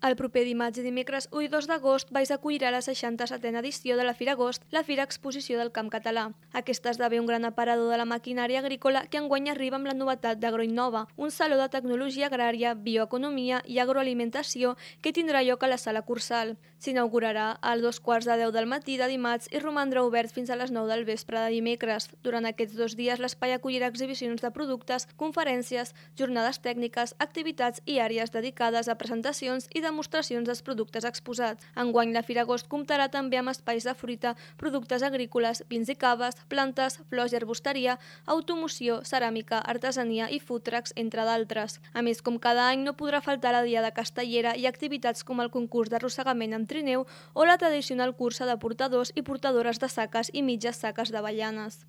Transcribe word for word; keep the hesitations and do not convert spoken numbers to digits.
El proper dimarts i dimecres u i dos d'agost Valls acollirà la seixanta-setena edició de la Fira Agost, la Fira Exposició del Camp Català. Aquesta esdevé un gran aparador de la maquinària agrícola que enguany arriba amb la novetat d'Agroinnova, un saló de tecnologia agrària, bioeconomia i agroalimentació que tindrà lloc a la Sala Cursal. S'inaugurarà a dos quarts de deu del matí de dimarts i romandrà obert fins a les nou del vespre de dimecres. Durant aquests dos dies l'espai acollirà exhibicions de productes, conferències, jornades tècniques, activitats i àrees dedicades a presentacions i demostracions dels productes exposats. Enguany la Fira Agost comptarà també amb espais de fruita, productes agrícoles, vins i caves, plantes, flors i arbusteria, automoció, ceràmica, artesania i food trucks, entre d'altres. A més, com cada any, no podrà faltar la Diada Castellera i activitats com el concurs d'arrossegament amb trineu o la tradicional cursa de portadors i portadores de saques i mitges saques d'avellanes.